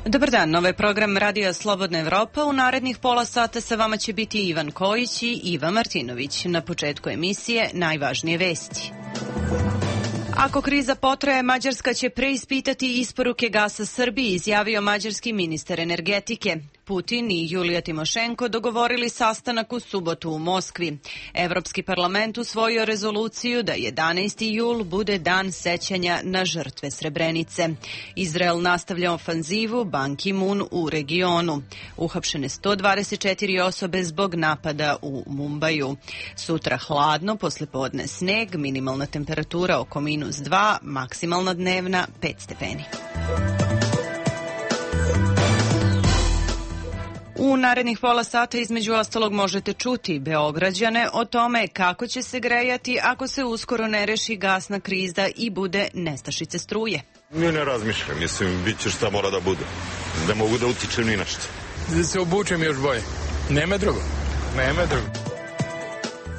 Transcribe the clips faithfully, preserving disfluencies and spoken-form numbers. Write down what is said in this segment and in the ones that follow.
Dobar dan, ovo je program Radija Slobodna Evropa. U narednih pola sata sa vama će biti Ivan Kojić i Iva Martinović. Na početku emisije najvažnije vesti. Ako kriza potraje, Mađarska će preispitati isporuke gasa Srbiji, izjavio mađarski ministar energetike. Putin i Julija Timošenko dogovorili sastanak u subotu u Moskvi. Evropski parlament usvojio rezoluciju da jedanaesti jul bude dan sećanja na žrtve Srebrenice. Izrael nastavlja ofanzivu, Ban Ki-moon u regionu. Uhapšene sto dvadeset četiri osobe zbog napada u Mumbaju. Sutra hladno, poslepodne sneg, minimalna temperatura oko minus dva, maksimalna dnevna pet stepeni. U narednih pola sata između ostalog možete čuti Beograđane o tome kako će se grejati ako se uskoro ne reši gasna kriza i bude nestašice struje. Ne, ne razmišljam, mislim, bit će šta mora da bude. Ne mogu da utičem ni na što. Da se obučem još bolje. Nema drugo. Nema drugo.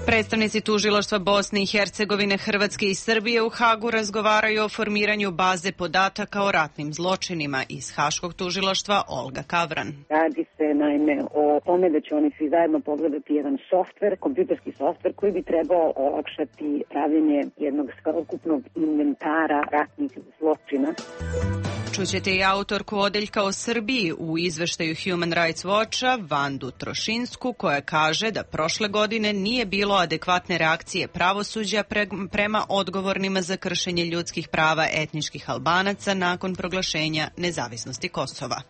Predstavnici tužilaštva Bosne i Hercegovine, Hrvatske i Srbije u Hagu razgovaraju o formiranju baze podataka o ratnim zločinima. Iz Haškog tužilaštva Olga Kavran. Radi se naime o tome da će oni svi zajedno pogledati jedan softver, kompjuterski softver koji bi trebao olakšati pravljenje jednog ukupnog inventara ratnih zločina. Čućete i autorku odeljka o Srbiji u izveštaju Human Rights Watcha, Vandu Trošinsku, koja kaže da prošle godine nije bilo adekvatne reakcije pravosuđa pre, prema odgovornima za kršenje ljudskih prava etničkih Albanaca nakon proglašenja nezavisnosti Kosova.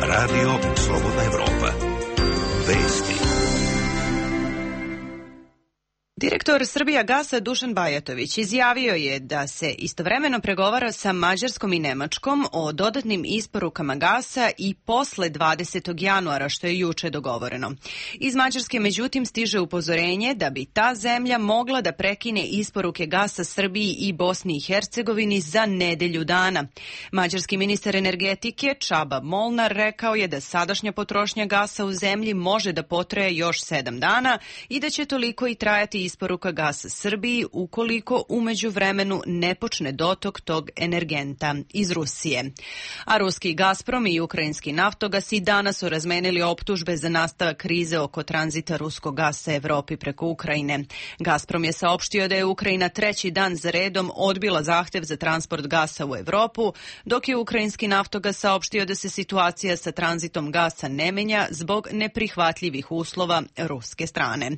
Radio Slobodna Evropa. Vesti. Direktor Srbijagasa Dušan Bajatović izjavio je da se istovremeno pregovara sa Mađarskom i Nemačkom o dodatnim isporukama gasa i posle dvadesetog januara, što je juče dogovoreno. Iz Mađarske međutim stiže upozorenje da bi ta zemlja mogla da prekine isporuke gasa Srbiji i Bosni i Hercegovini za nedelju dana. Mađarski ministar energetike Čaba Molnar rekao je da sadašnja potrošnja gasa u zemlji može da potraje još sedam dana i da će toliko i trajati isporuka gasa Srbiji ukoliko u međuvremenu ne počne dotok tog energenta iz Rusije. A ruski Gazprom i ukrajinski Naftogas i danas su razmenili optužbe za nastavak krize oko tranzita ruskog gasa Evropi preko Ukrajine. Gazprom je saopštio da je Ukrajina treći dan za redom odbila zahtev za transport gasa u Evropu, dok je ukrajinski Naftogas saopštio da se situacija sa tranzitom gasa ne menja zbog neprihvatljivih uslova ruske strane.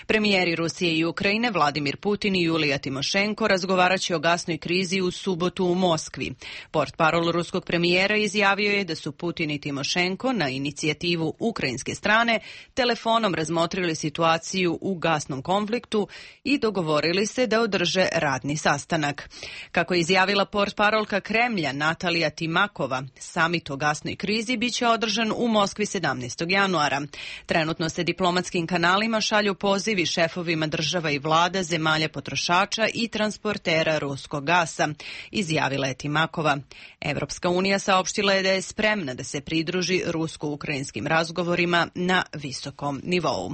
Premijeri Rusije i Ukrajine Vladimir Putin i Julija Timošenko razgovaraće o gasnoj krizi u subotu u Moskvi. Portparol ruskog premijera izjavio je da su Putin i Timošenko na inicijativu ukrajinske strane telefonom razmotrili situaciju u gasnom konfliktu i dogovorili se da održe radni sastanak. Kako je izjavila portparolka Kremlja Natalija Timakova, samit o gasnoj krizi biće održan u Moskvi sedamnaestog januara. Trenutno se diplomatskim kanalima šalju pozivi šefovima država i vlada, zemalja potrošača i transportera ruskog gasa, izjavila je Timakova. Evropska unija saopštila je da je spremna da se pridruži rusko-ukrajinskim razgovorima na visokom nivou.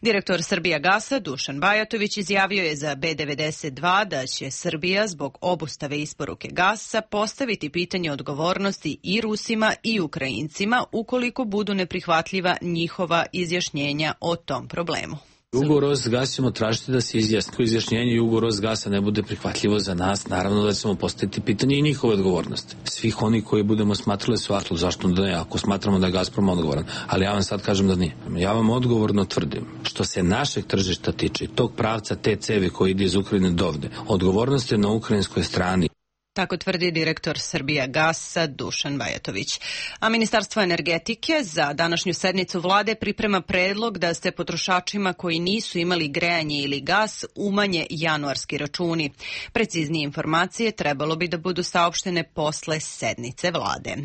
Direktor Srbijagasa Dušan Bajatović izjavio je za B devedeset dva da će Srbija zbog obustave isporuke gasa postaviti pitanje odgovornosti i Rusima i Ukrajincima ukoliko budu neprihvatljiva njihova izjašnjenja o tom problemu. Ugovor s gasa ćemo tražiti da se izjasni. Ako izjašnjenje i ugovor s gasa ne bude prihvatljivo za nas, naravno da ćemo postaviti pitanje i njihove odgovornosti. Svih oni koji budemo smatrali su atlu, zašto da ne, ako smatramo da je Gazprom odgovoran. Ali ja vam sad kažem da nije. Ja vam odgovorno tvrdim, što se našeg tržišta tiče, tog pravca te cevi koji ide iz Ukrajine do ovde, odgovornost je na ukrajinskoj strani. Tako tvrdi direktor Srbijagasa Dušan Bajatović. A Ministarstvo energetike za današnju sednicu vlade priprema predlog da se potrošačima koji nisu imali grejanje ili gas umanje januarski računi. Preciznije informacije trebalo bi da budu saopštene posle sednice vlade.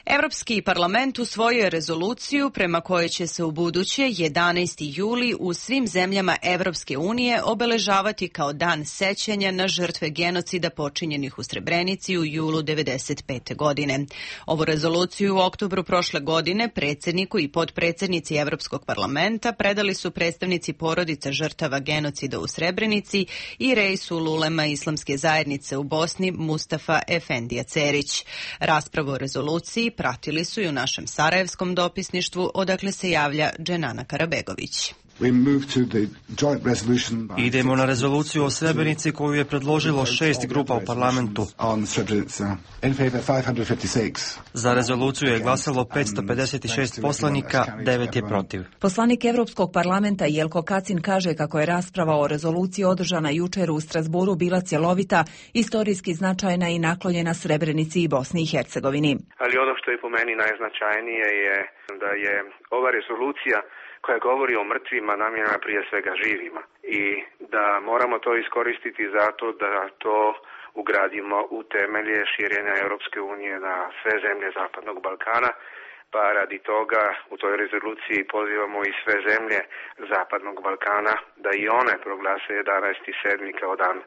Evropski parlament usvojio je rezoluciju prema kojoj će se u buduće jedanaesti juli u svim zemljama Evropske unije obeležavati kao dan sećanja na žrtve genocida počinjenih u Srebrenici u julu devedeset pete. godine. Ovu rezoluciju u oktobru prošle godine predsjedniku i potpredsjednici Evropskog parlamenta predali su predstavnici porodica žrtava genocida u Srebrenici i Reisul Ulema Islamske zajednice u Bosni Mustafa Efendija Cerić. Raspravu o rezoluciji pratili su i u našem sarajevskom dopisništvu, odakle se javlja Dženana Karabegović. Idemo na rezoluciju o Srebrenici koju je predložilo šest grupa u parlamentu. Za rezoluciju je glasalo petsto pedeset šest poslanika, devet je protiv. Poslanik Evropskog parlamenta Jelko Kacin kaže kako je rasprava o rezoluciji održana jučer u Strasburu bila cjelovita, istorijski značajna i naklonjena Srebrenici i Bosni i Hercegovini. Ali ono što je po meni najznačajnije je da je ova rezolucija koja govori o mrtvima namijenjena prije svega živima i da moramo to iskoristiti zato da to ugradimo u temelje širenja Europske unije na sve zemlje Zapadnog Balkana, pa radi toga u toj rezoluciji pozivamo i sve zemlje Zapadnog Balkana da i one proglase jedanaesti sedmi kao dan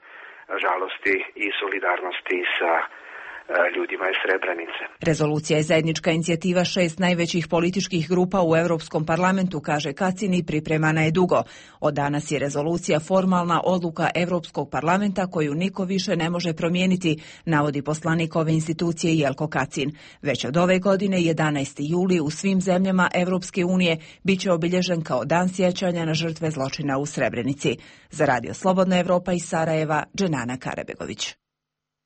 žalosti i solidarnosti sa ljudima iz Srebrenice. Rezolucija je zajednička inicijativa šest najvećih političkih grupa u Europskom parlamentu, kaže Kacin, i pripremana je dugo. Od danas je rezolucija formalna odluka Europskog parlamenta koju niko više ne može promijeniti, navodi poslanik ove institucije Jelko Kacin. Već od ove godine, jedanaesti juli, u svim zemljama Europske unije biće obilježen kao dan sjećanja na žrtve zločina u Srebrenici. Za Radio Slobodna Evropa iz Sarajeva, Dženana Karabegović.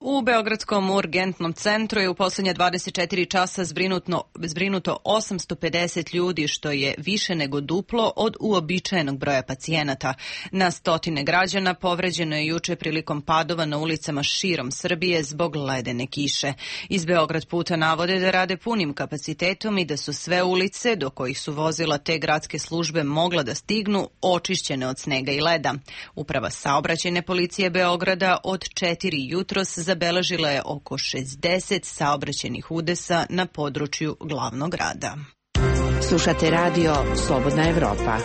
U Beogradskom urgentnom centru je u posljednja dvadeset četiri časa zbrinuto, zbrinuto osamsto pedeset ljudi, što je više nego duplo od uobičajenog broja pacijenata. Na stotine građana povređeno je juče prilikom padova na ulicama širom Srbije zbog ledene kiše. Iz Beograd puta navode da rade punim kapacitetom i da su sve ulice do kojih su vozila te gradske službe mogla da stignu očišćene od snega i leda. Uprava saobraćajne policije Beograda od četiri jutros zabeležila je oko šezdeset saobraćajnih udesa na području glavnog grada. Slušate radio Slobodna Evropa.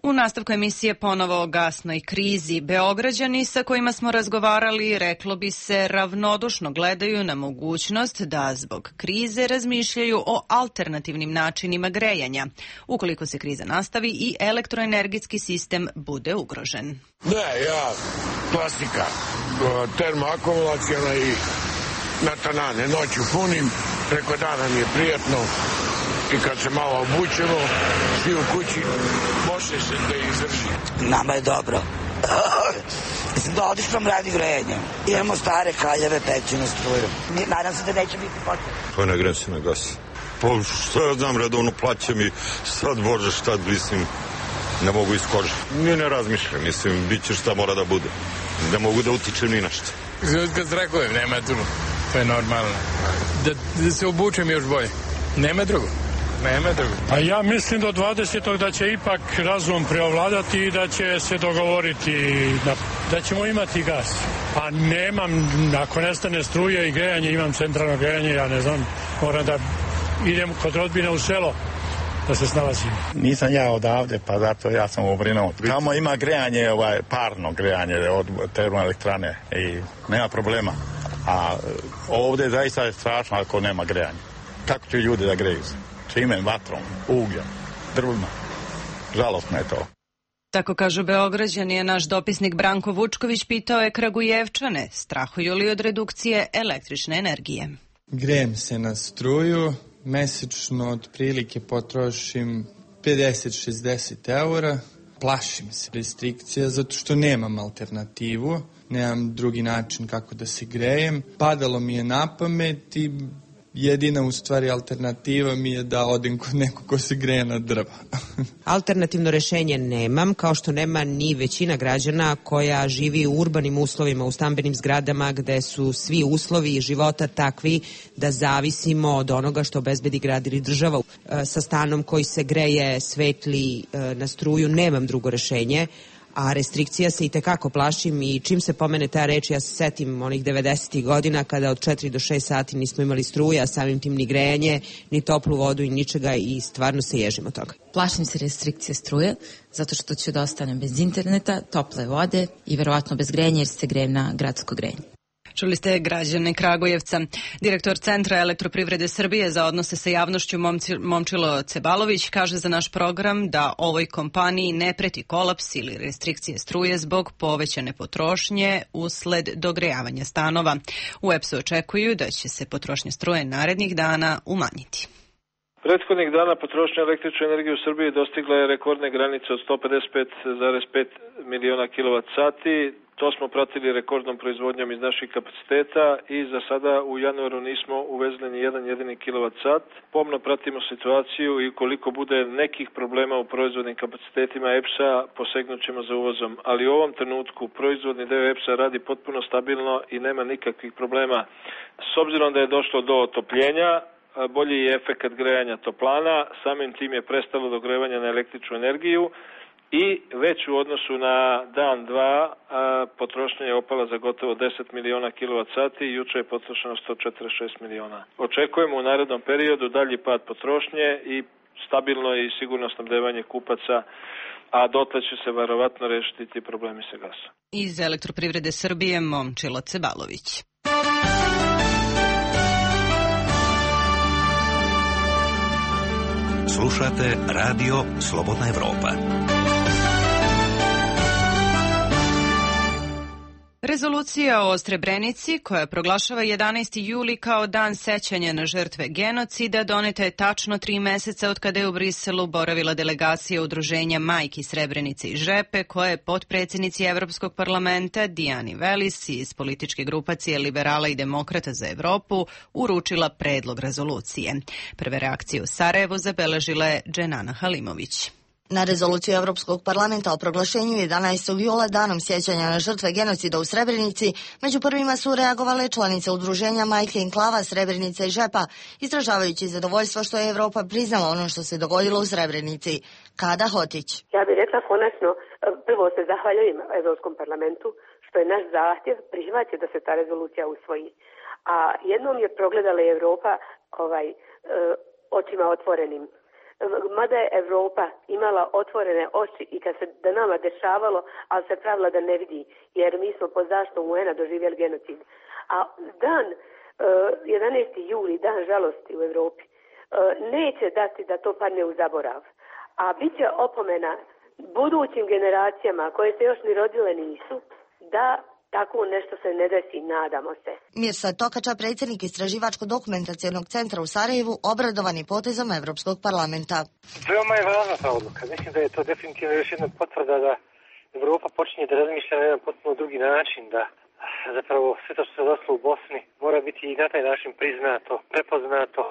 U nastavku emisije ponovo o gasnoj krizi. Beograđani sa kojima smo razgovarali, reklo bi se, ravnodušno gledaju na mogućnost da zbog krize razmišljaju o alternativnim načinima grejanja, ukoliko se kriza nastavi i elektroenergetski sistem bude ugrožen. Ne, ja, klasika, termoakumulacijona i na tanane, noću punim, preko dana mi je prijatno. I kad se malo obučemo, svi u kući, može se da izdrži. Nama je dobro. Mislim da odličnom radi grejanje. Imamo stare kaljeve, pećinu struju. Nadam se da neće biti potrebe. Pa ne grem se na gas. Pa šta ja znam, redovno plaćam i sad bože šta, mislim, ne mogu iz kože. Ni ne razmišljam, mislim, bit će šta mora da bude. Ne mogu da utičem ni na što. Kad zrakujem, nema tu. To je normalno. Da, da se obučem još bolje. Nema drugo. Nema drugo. A ja mislim do dvadesetog da će ipak razum preovladati i da će se dogovoriti da, da ćemo imati gas. A nemam, ako nestane struje i grejanje, imam centralno grejanje, ja ne znam, moram da idem kod rodbine u selo da se snalazim. Nisam ja odavde, pa zato ja sam obrinuo. Tamo ima grejanje, ovaj, parno grejanje od termoelektrane i nema problema. A ovdje zaista je strašno ako nema grejanja. Kako će ljudi da greju se? Čime, vatrom, ugljem, drvima. Žalostno je to. Tako kažu Beograđani, je naš dopisnik Branko Vučković pitao je Kragujevčane, strahuju li od redukcije električne energije. Grejem se na struju, mesečno otprilike potrošim pedeset do šezdeset eura. Plašim se restrikcija zato što nemam alternativu, nemam drugi način kako da se grejem. Padalo mi je na pamet i jedina u stvari alternativa mi je da odem kod nekog ko se greje na drva. Alternativno rešenje nemam, kao što nema ni većina građana koja živi u urbanim uslovima, u stambenim zgradama gde su svi uslovi života takvi da zavisimo od onoga što obezbedi grad ili država. Sa stanom koji se greje, svetli na struju, nemam drugo rešenje, a restrikcija se i tekako plašim i čim se pomene ta reč, ja se setim onih devedesetih godina kada od četiri do šest sati nismo imali struje, a samim tim ni grejanje, ni toplu vodu i ničega i stvarno se ježimo toga. Plašim se restrikcije struje, zato što ću da ostanem bez interneta, tople vode i verovatno bez grejanja jer se grejem na gradsko grejanje. Čuli ste građane Kragujevca. Direktor Centra elektroprivrede Srbije za odnose sa javnošću Momčilo Cebalović kaže za naš program da ovoj kompaniji ne preti kolaps ili restrikcije struje zbog povećane potrošnje usled dogrejavanja stanova. U E P S-u očekuju da će se potrošnja struje narednih dana umanjiti. Prethodnih dana potrošnja električne energije u Srbiji dostigla je rekordne granice od sto pedeset pet zarez pet miliona kilovat sati. To smo pratili rekordnom proizvodnjom iz naših kapaciteta i za sada u januaru nismo uvezli ni jedan jedini kilovat sat. Pomno pratimo situaciju i ukoliko bude nekih problema u proizvodnim kapacitetima E P S-a, posegnut ćemo za uvozom. Ali u ovom trenutku proizvodni deo E P S-a radi potpuno stabilno i nema nikakvih problema. S obzirom da je došlo do otopljenja, bolji je efekat grejanja toplana, samim tim je prestalo dogrevanje na električnu energiju i već u odnosu na dan dva potrošnja je opala za gotovo deset miliona kilovat sati i juče je potrošeno sto četrdeset šest miliona. Očekujemo u narednom periodu dalji pad potrošnje i stabilno i sigurno snabdevanje kupaca, a dotle će se verovatno rešiti ti problemi sa gasom. Iz Elektroprivrede Srbije Momčilo Cebalović. Slušate Radio Slobodna Evropa. Rezolucija o Srebrenici, koja proglašava jedanaesti juli kao dan sećanja na žrtve genocida, doneta je tačno tri meseca od kada je u Briselu boravila delegacija Udruženja Majki Srebrenice i Žepe, koja je potpredsjednici Evropskog parlamenta Dijani Velis iz političke grupacije Liberala i Demokrata za Evropu uručila predlog rezolucije. Prve reakcije u Sarajevu zabeležila je Dženana Halimović. Na rezoluciju Evropskog parlamenta o proglašenju jedanaestog jula danom sjećanja na žrtve genocida u Srebrenici, među prvima su reagovale članice udruženja Majke Enklava, Srebrenica i Žepa, izražavajući zadovoljstvo što je Evropa priznala ono što se dogodilo u Srebrenici. Kada Hotić. Ja bih rekla konačno, prvo se zahvaljujem Evropskom parlamentu što je naš zahtjev prihvatio da se ta rezolucija usvoji. A jednom je progledala Evropa ovaj, očima otvorenim. Mada je Evropa imala otvorene oči i kad se da nama dešavalo, ali se pravila da ne vidi, jer mi smo pod zaštitom U N-a doživjeli genocid. A dan jedanaesti juli, dan žalosti u Evropi, neće dati da to padne u zaborav. A bit će opomena budućim generacijama koje se još ni rodile nisu, da tako nešto se ne desi, nadamo se. Mirsad Tokača, predsjednik Istraživačko-dokumentacijonog centra u Sarajevu, obradovan je potezom Evropskog parlamenta. Veoma je važna ta odluka. Mislim da je to definitivno još jedna potvrda da Evropa počinje da razmišlja na jedan potpuno drugi način, da zapravo sve to što se desilo u Bosni mora biti i na taj način priznato, prepoznato,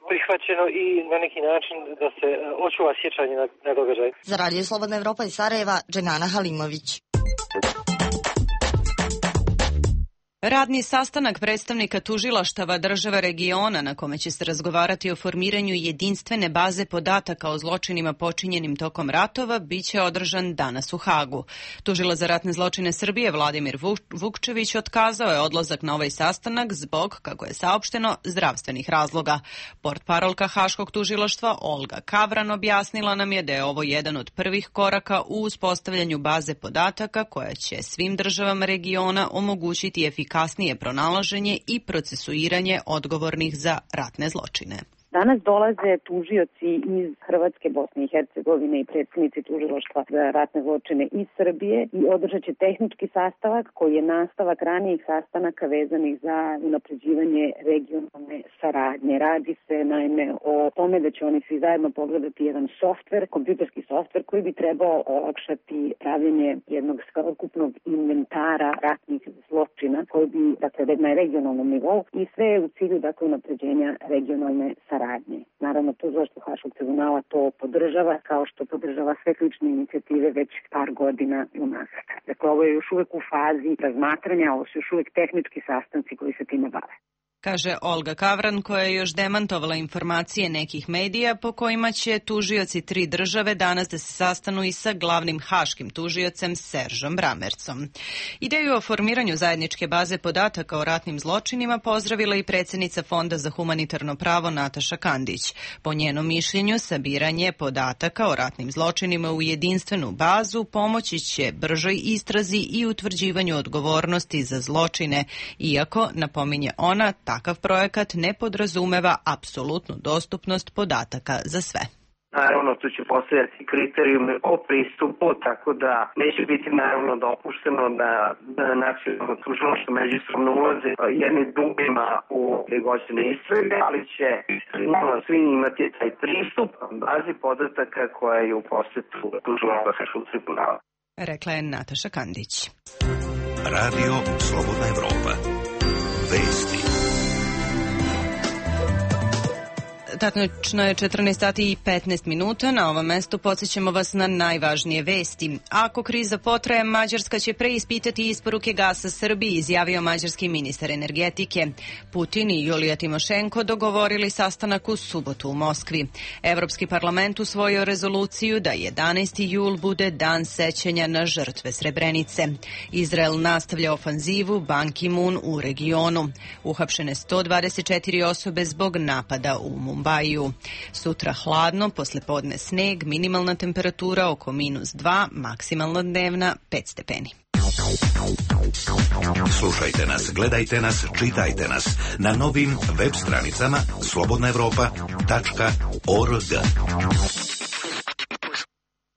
prihvaćeno i na neki način da se očuva sjećanje na, na događaj. Za Radio Slobodna Evropa iz Sarajeva, Dženana Halimović. Radni sastanak predstavnika tužilaštava država regiona na kome će se razgovarati o formiranju jedinstvene baze podataka o zločinima počinjenim tokom ratova biće održan danas u Hagu. Tužilac za ratne zločine Srbije Vladimir Vukčević otkazao je odlazak na ovaj sastanak zbog, kako je saopšteno, zdravstvenih razloga. Portparolka Haškog tužilaštva Olga Kavran objasnila nam je da je ovo jedan od prvih koraka u uspostavljanju baze podataka koja će svim državama regiona omogućiti efikasnije kasnije pronalaženje i procesuiranje odgovornih za ratne zločine. Danas dolaze tužioci iz Hrvatske, Bosne i Hercegovine i predsjednici tužilaštva za ratne zločine iz Srbije i održat će tehnički sastavak koji je nastavak ranijih sastanaka vezanih za unapređivanje regionalne saradnje. Radi se naime o tome da će oni svi zajedno pogledati jedan softver, kompjuterski softver koji bi trebao olakšati pravljenje jednog ukupnog inventara ratnih zločina koji bi, dakle, na regionalnom nivou i sve u cilju, dakle, unapređenja regionalne saradnje. Naravno, tužilaštvo Haškog tribunala to podržava, kao što podržava sve ključne inicijative već par godina unazad. Dakle, ovo je još uvek u fazi razmatranja, ovo su još uvek tehnički sastanci koji se time bave. kaže Olga Kavran, koja je još demantovala informacije nekih medija po kojima će tužioci tri države danas da se sastanu i sa glavnim haškim tužiocem Seržom Bramercom. Ideju o formiranju zajedničke baze podataka o ratnim zločinima pozdravila i predsjednica Fonda za humanitarno pravo Nataša Kandić. Po njenom mišljenju, sabiranje podataka o ratnim zločinima u jedinstvenu bazu pomoći će bržoj istrazi i utvrđivanju odgovornosti za zločine, iako, napominje ona, takav projekat ne podrazumeva apsolutnu dostupnost podataka za sve. Naravno, tu će postojati kriterijumi o pristupu, tako da neće biti naravno dopušteno da, da nacionalno tužilaštvo međusobno ulaze jednim drugima u negođene istrage, ali će svi imati taj pristup bazi podataka koja je u posetu tužilaštva Haškog tribunala. Rekla je Nataša Kandić. Radio Slobodna Evropa. Vesti. Tačno je četrnaest sati i petnaest minuta. Na ovom mestu podsjećamo vas na najvažnije vesti. Ako kriza potraje, Mađarska će preispitati isporuke gasa Srbiji, izjavio mađarski ministar energetike. Putin i Julija Timošenko dogovorili sastanak u subotu u Moskvi. Evropski parlament usvojio rezoluciju da jedanaesti jul bude dan sećanja na žrtve Srebrenice. Izrael nastavlja ofanzivu, Ban Ki-moon u regionu. Uhapšene sto dvadeset četiri osobe zbog napada u Mumbaju. Sutra hladno, poslepodne sneg, minimalna temperatura oko minus dva, maksimalna dnevna pet stepeni. Slušajte nas, gledajte nas, čitajte nas na novim web stranicama slobodna evropa tačka org.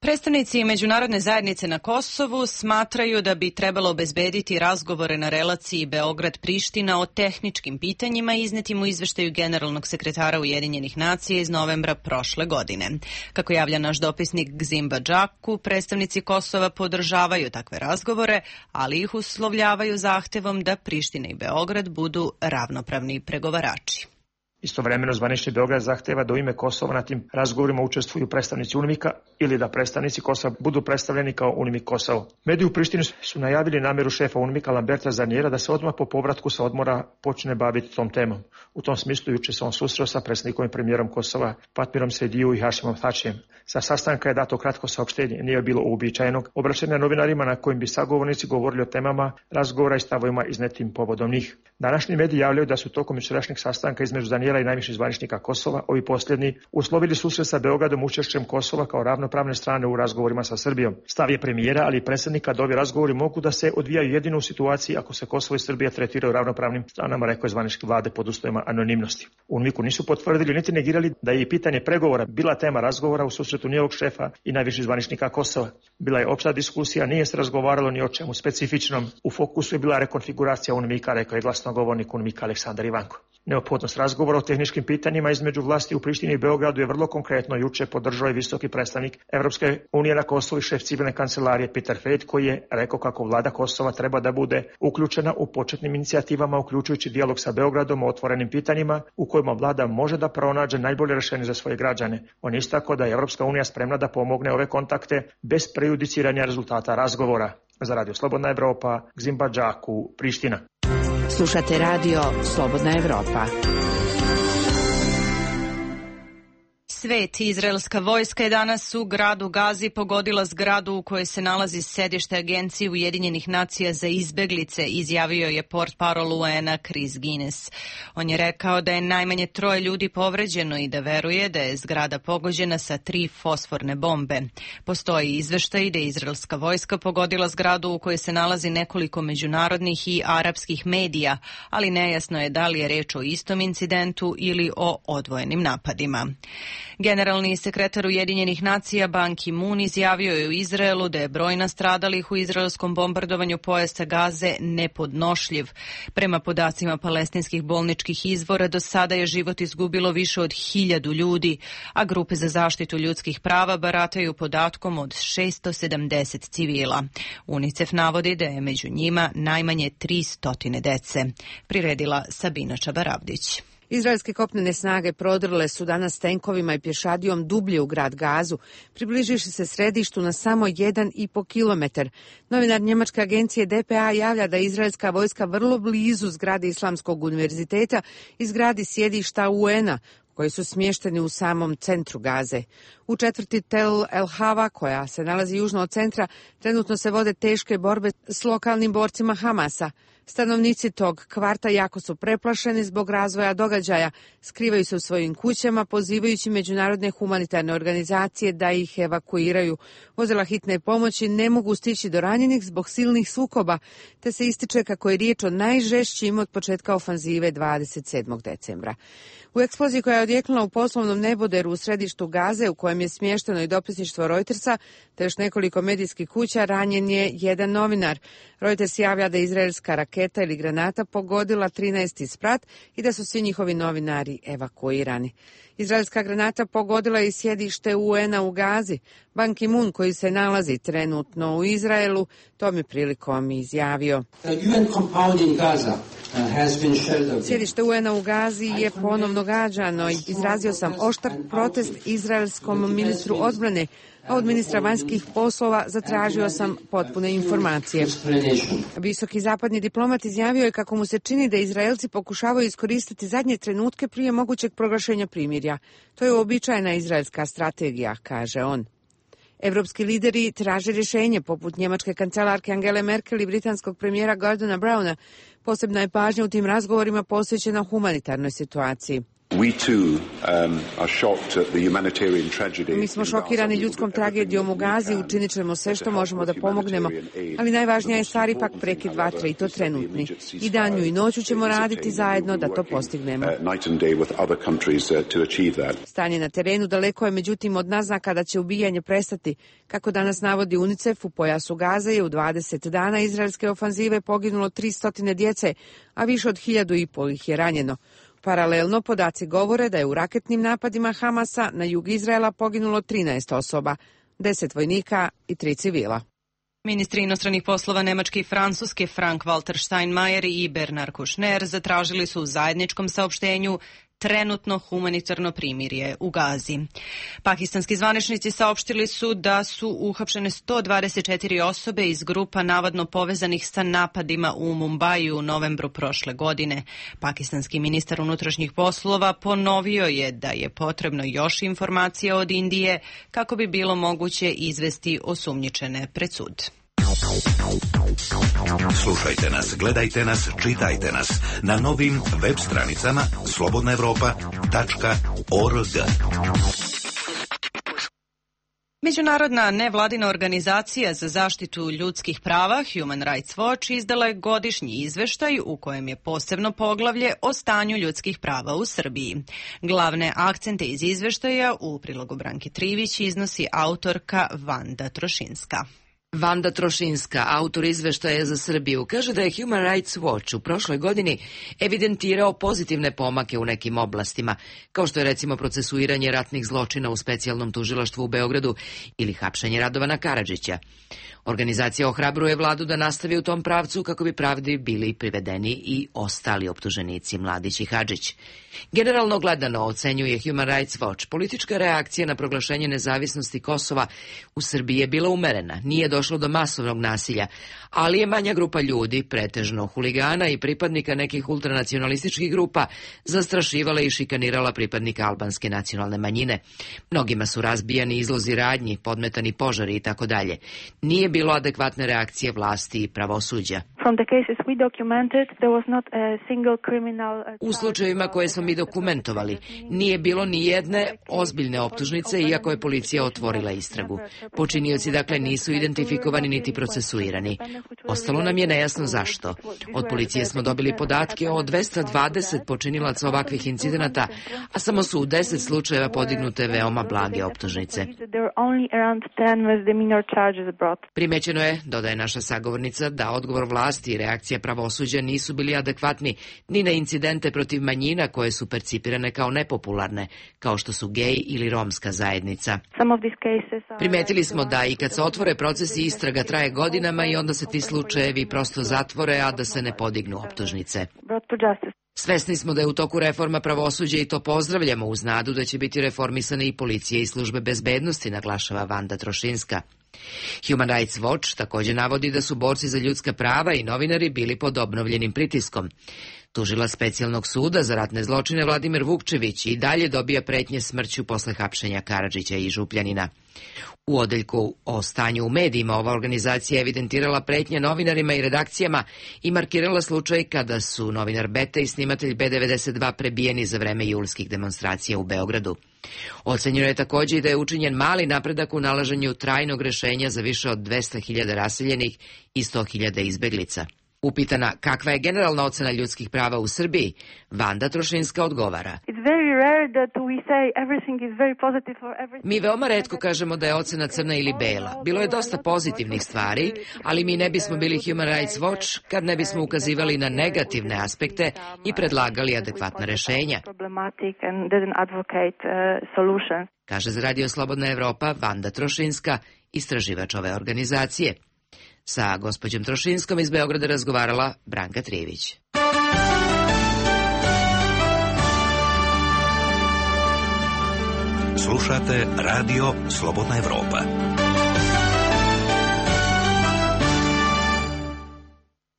Predstavnici međunarodne zajednice na Kosovu smatraju da bi trebalo obezbediti razgovore na relaciji Beograd-Priština o tehničkim pitanjima iznetim u izveštaju generalnog sekretara Ujedinjenih nacija iz novembra prošle godine. Kako javlja naš dopisnik Gzimba Džaku, predstavnici Kosova podržavaju takve razgovore, ali ih uslovljavaju zahtevom da Priština i Beograd budu ravnopravni pregovarači. Istovremeno zvanični Beograd zahteva da u ime Kosova na tim razgovorima učestvuju predstavnici UNMIK-a ili da predstavnici Kosova budu predstavljeni kao UNMIK Kosovo. Mediji u Prištini su najavili nameru šefa UNMIK-a Lamberta Zarnjera da se odmah po povratku sa odmora počne baviti tom temom. U tom smislu juče se on susreo sa predsjednikom i premijerom Kosova Fatmirom Sejdiu i Hašimom Tačijem. Sa sastanka je dato kratko saopštenje, nije bilo uobičajenog obraćanja novinarima na kojim bi sagovornici govorili o temama razgovora i stavovima iznetim povodom njih. Današnji mediji javljaju da su tokom jučerašnjeg sastanka između Zarnjera i najviših zvaničnika Kosova, ovi posljednji, uslovili susret sa Beogradom učešćem Kosova kao ravnopravne strane u razgovorima sa Srbijom. Stav je premijera, ali i predsjednika da ovi razgovori mogu da se odvijaju jedino u situaciji ako se Kosovo i Srbija tretiraju ravnopravnim stranama, rekao je zvaničke vlade pod uslovima anonimnosti. U UNMIK-u nisu potvrdili niti negirali da je i pitanje pregovora bila tema razgovora u susretu njihovog šefa i najviših zvaničnika Kosova. Bila je opšta diskusija, nije se razgovaralo ni o čemu specifičnom. U fokusu je bila rekonfiguracija UNMIK-a, rekao je glasnogovornik UNMIK-a Aleksandar Ivanko. Neophodnost razgovora o tehničkim pitanjima između vlasti u Prištini i Beogradu je vrlo konkretno juče podržao i visoki predstavnik Evropske unije na Kosovu i šef civilne kancelarije Peter Fejt, koji je rekao kako vlada Kosova treba da bude uključena u početnim inicijativama, uključujući dijalog sa Beogradom o otvorenim pitanjima u kojima vlada može da pronađe najbolje rešenje za svoje građane. On je istakao da je Evropska unija spremna da pomogne ove kontakte bez prejudiciranja rezultata razgovora. Za Radio Slobodna Evropa, Gzimba Džaku, Priština. Slušate Radio Slobodna Evropa. Svet. Izraelska vojska je danas u gradu Gazi pogodila zgradu u kojoj se nalazi sedište Agencije Ujedinjenih nacija za izbeglice, izjavio je portparol U N-a Chris Guinness. On je rekao da je najmanje troje ljudi povređeno i da veruje da je zgrada pogođena sa tri fosforne bombe. Postoji izveštaj da je izraelska vojska pogodila zgradu u kojoj se nalazi nekoliko međunarodnih i arapskih medija, ali nejasno je da li je reč o istom incidentu ili o odvojenim napadima. Generalni sekretar Ujedinjenih nacija Ban Ki-moon izjavio je u Izraelu da je broj nastradalih u izraelskom bombardovanju pojasa Gaze nepodnošljiv. Prema podacima palestinskih bolničkih izvora, do sada je život izgubilo više od hiljadu ljudi, a grupe za zaštitu ljudskih prava barataju podatkom od šesto sedamdeset civila. UNICEF navodi da je među njima najmanje tri stotine dece. Priredila Sabina Čabaravdić. Izraelske kopnene snage prodrle su danas tenkovima i pješadijom dublje u grad Gazu, približiši se središtu na samo jedan i po kilometar. Novinar njemačke agencije D P A javlja da je izraelska vojska vrlo blizu zgrade Islamskog univerziteta i zgradi sjedišta U N-a, koji su smješteni u samom centru Gaze. U četvrti Tel El Hava, koja se nalazi južno od centra, trenutno se vode teške borbe s lokalnim borcima Hamasa. Stanovnici tog kvarta jako su preplašeni zbog razvoja događaja, skrivaju se u svojim kućama, pozivajući međunarodne humanitarne organizacije da ih evakuiraju. Vozila hitne pomoći ne mogu stići do ranjenih zbog silnih sukoba, te se ističe kako je riječ o najžešćim od početka ofanzive dvadeset sedmog decembra. U eksploziji koja je odjeknula u poslovnom neboderu u središtu Gaze, u kojem je smješteno i dopisništvo Reutersa, te još nekoliko medijskih kuća, ranjen je jedan novinar. Reuters javlja da je izraelska raketa ili granata pogodila trinaesti sprat i da su svi njihovi novinari evakuirani. Izraelska granata pogodila je i sjedište U N-a u Gazi. Ban Ki-moon, koji se nalazi trenutno u Izraelu, tom je prilikom izjavio: sjedište U N-a u Gazi je ponovno gađano i izrazio sam oštar protest izraelskom ministru odbrane, a od ministra vanjskih poslova zatražio sam potpune informacije. Visoki zapadni diplomat izjavio je kako mu se čini da Izraelci pokušavaju iskoristiti zadnje trenutke prije mogućeg proglašenja primirja. To je uobičajena izraelska strategija, kaže on. Evropski lideri traže rješenje, poput njemačke kancelarke Angele Merkel i britanskog premijera Gordona Browna. Posebna je pažnja u tim razgovorima posvećena humanitarnoj situaciji. Mi smo šokirani ljudskom tragedijom u Gazi, učinit ćemo sve što možemo da pomognemo, ali najvažnija je stvar ipak prekid vatre i to trenutni. I danju i noću ćemo raditi zajedno da to postignemo. Stanje na terenu daleko je međutim od naznaka da će ubijanje prestati. Kako danas navodi UNICEF, u pojasu Gaze je u dvadeset dana izraelske ofanzive poginulo tristo djece, a više od hiljadu i pol ih je ranjeno. Paralelno, podaci govore da je u raketnim napadima Hamasa na jug Izraela poginulo trinaest osoba, deset vojnika i tri civila. Ministri inostranih poslova Nemačke i Francuske Frank-Walter Steinmeier i Bernard Kouchner zatražili su u zajedničkom saopštenju trenutno humanitarno primirje u Gazi. Pakistanski zvaničnici saopštili su da su uhapšene sto dvadeset četiri osobe iz grupa navodno povezanih sa napadima u Mumbaju u novembru prošle godine. Pakistanski ministar unutrašnjih poslova ponovio je da je potrebno još informacija od Indije kako bi bilo moguće izvesti osumnjičene pred sud. Slušajte nas, gledajte nas, čitajte nas na novim web stranicama slobodna evropa tačka org. Međunarodna nevladina organizacija za zaštitu ljudskih prava Human Rights Watch izdala je godišnji izveštaj u kojem je posebno poglavlje o stanju ljudskih prava u Srbiji. Glavne akcente iz izveštaja u prilogu Branke Trivić iznosi autorka Vanda Trošinska. Vanda Trošinska, autor izveštaja za Srbiju, kaže da je Human Rights Watch u prošloj godini evidentirao pozitivne pomake u nekim oblastima, kao što je recimo procesuiranje ratnih zločina u specijalnom tužilaštvu u Beogradu ili hapšenje Radovana Karadžića. Organizacija ohrabruje vladu da nastavi u tom pravcu kako bi pravdi bili privedeni i ostali optuženici Mladić i Hadžić. Generalno gledano, ocenjuje Human Rights Watch, politička reakcija na proglašenje nezavisnosti Kosova u Srbiji je bila umerena, nije došlo do masovnog nasilja, ali je manja grupa ljudi, pretežno huligana i pripadnika nekih ultranacionalističkih grupa, zastrašivala i šikanirala pripadnika albanske nacionalne manjine. Mnogima su razbijani izlozi radnji, podmetani požari i tako dalje. Nije bilo adekvatne reakcije vlasti i pravosuđa. U slučajevima koje smo mi dokumentovali, nije bilo ni jedne ozbiljne optužnice, iako je policija otvorila istragu. Počinioci dakle nisu identifikovani niti procesuirani. Ostalo nam je nejasno zašto. Od policije smo dobili podatke o dvesta dvadeset počinilaca ovakvih incidenata, a samo su u deset slučajeva podignute veoma blage optužnice. Primećeno je, dodaje naša sagovornica, da odgovor vlasti i reakcija pravosuđa nisu bili adekvatni ni na incidente protiv manjina koje su percipirane kao nepopularne, kao što su gej ili romska zajednica. Primetili smo da i kad se otvore procesi, istraga traje godinama i onda se ti slučajevi prosto zatvore, a da se ne podignu optužnice. Svesni smo da je u toku reforma pravosuđa i to pozdravljamo uz nadu da će biti reformisane i policije i službe bezbednosti, naglašava Vanda Trošinska. Human Rights Watch također navodi da su borci za ljudska prava i novinari bili pod obnovljenim pritiskom. Tužilac specijalnog suda za ratne zločine Vladimir Vukčević i dalje dobija pretnje smrću posle hapšenja Karadžića i Župljanina. U odeljku o stanju u medijima ova organizacija evidentirala pretnje novinarima i redakcijama i markirala slučaj kada su novinar Beta i snimatelj B devedeset dva prebijeni za vreme julskih demonstracija u Beogradu. Ocenjeno je također i da je učinjen mali napredak u nalaženju trajnog rešenja za više od dvesta hiljada raseljenih i sto hiljada izbeglica. Upitana kakva je generalna ocena ljudskih prava u Srbiji, Vanda Trošinska odgovara. Mi veoma retko kažemo da je ocena crna ili bela. Bilo je dosta pozitivnih stvari, ali mi ne bismo bili Human Rights Watch kad ne bismo ukazivali na negativne aspekte i predlagali adekvatna rešenja. Kaže za Radio Slobodna Evropa Vanda Trošinska, istraživač ove organizacije. Sa gospođom Trošinskom iz Beograda razgovarala Branka Trivić. Slušate Radio Slobodna Evropa.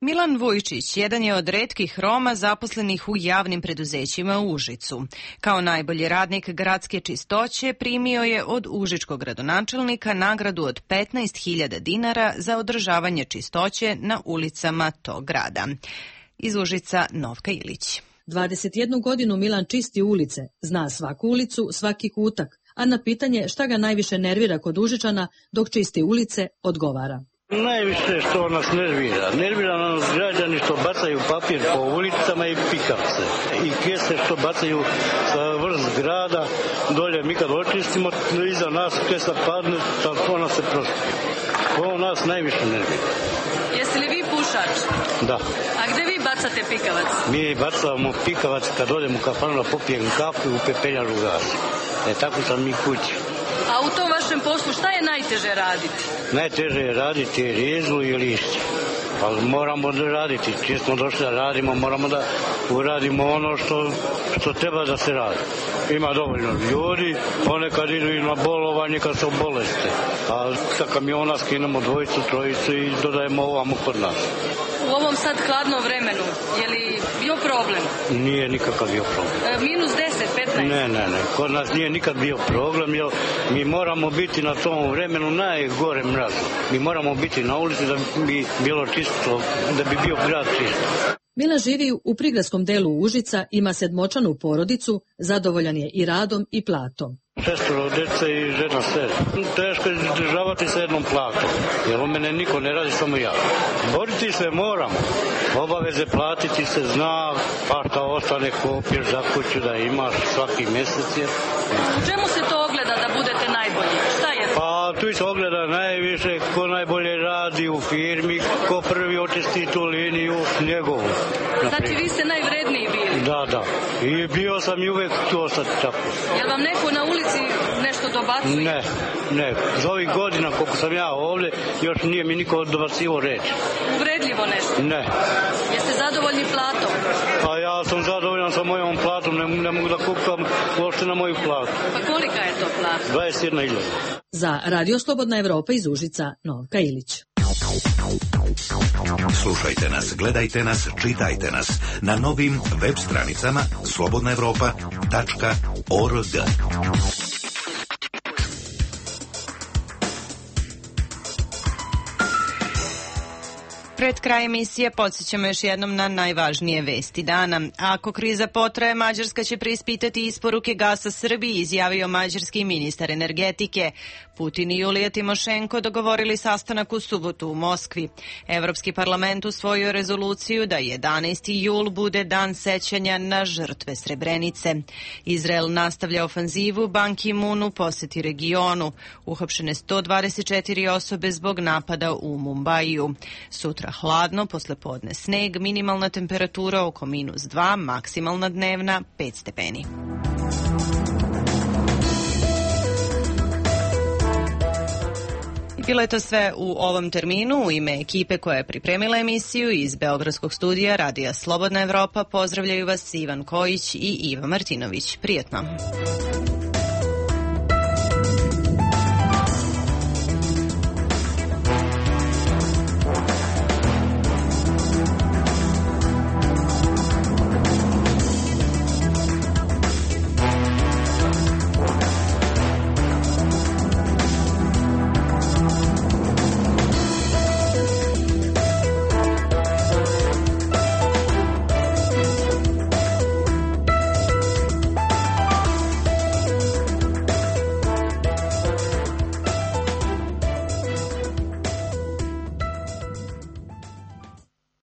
Milan Vujčić jedan je od retkih Roma zaposlenih u javnim preduzećima u Užicu. Kao najbolji radnik gradske čistoće primio je od užičkog gradonačelnika nagradu od petnaest hiljada dinara za održavanje čistoće na ulicama tog grada. Iz Užica Novka Ilić. dvadeset jednu godinu Milan čisti ulice, zna svaku ulicu, svaki kutak, a na pitanje šta ga najviše nervira kod Užičana dok čisti ulice odgovara. Najviše što nas nervira. Nervira nas građani što bacaju papir po ulicama i pikavce. I kese što bacaju sa vrh zgrada. Dolje mi kad očistimo, iza nas kesa padne, ona se prošli. To nas najviše nervira. Jeste li vi pušač? Da. A gde vi bacate pikavac? Mi bacamo pikavac kad dođemo u kafanu, popijem kafu i u pepeljaru gasi. E tako sam mi kući. A u tom vašem poslu šta je najteže raditi? Najteže je raditi rezu i lišće. Ali moramo da raditi. Čim smo došli da radimo, moramo da uradimo ono što, što treba da se radi. Ima dovoljno ljudi, ponekad idu i na bolovanje kad se boleste. A sa kamiona skinemo dvojicu, trojicu i dodajemo ovamo kod nas. U ovom sad hladnom vremenu, je li bio problem? Nije nikakav bio problem. E, minus deset, petnaest? Ne, ne, ne. Kod nas nije nikad bio problem, jer mi moramo biti na tom vremenu najgore mrazu. Mi moramo biti na ulici da bi bilo čisto, da bi bio grad čist. Milan živi u prigradskom delu Užica, ima sedmočanu porodicu, zadovoljan je i radom i platom. Šestoro dece i žena sred. Teško je izdržavati sa jednom platom, jer u mene niko ne radi, samo ja. Boriti se moramo. Obaveze platiti se zna, pa šta ostane kopir za kuću da imaš svaki mjesec je. U čemu se to ogleda da budete najbolji? Šta je? Pa tu se ogleda najviše ko najbolje radi u firmi, ko prvi očisti tu liniju njegovu. Znači vi ste najvredniji bili? Da, da. I bio sam i uvek tu ostati tako. Jel vam neko na ulici nešto dobacuje? Ne, ne. Za ovih godina koliko sam ja ovdje, još nije mi niko dobacivo reći. Uvredljivo nešto? Ne. Jeste zadovoljni platom? Pa ja sam zadovoljan sa mojom platom, ne, ne mogu da kukam uopšte na moju platu. Pa kolika je to plata? dvadeset jedna hiljada. Za Radio Slobodna Evropa iz Užica, Novka Ilić. Slušajte nas, gledajte nas, čitajte nas na novim web stranicama slobodna evropa tačka org. Pred kraj emisije podsjećamo još jednom na najvažnije vesti dana. Ako kriza potraje, Mađarska će preispitati isporuke gasa Srbiji, izjavio mađarski ministar energetike. Putin i Julija Timošenko dogovorili sastanak u subotu u Moskvi. Evropski parlament usvojio rezoluciju da jedanaesti jul bude dan sećanja na žrtve Srebrenice. Izrael nastavlja ofanzivu, Ban Ki-moon poseti regionu. Uhapšene sto dvadeset četiri osobe zbog napada u Mumbaiju. Sutra hladno, poslepodne sneg, minimalna temperatura oko minus dva, maksimalna dnevna pet stepeni. Bilo je to sve u ovom terminu. U ime ekipe koja je pripremila emisiju iz Beogradskog studija Radija Slobodna Evropa pozdravljaju vas Ivan Kojić i Iva Martinović. Prijetno.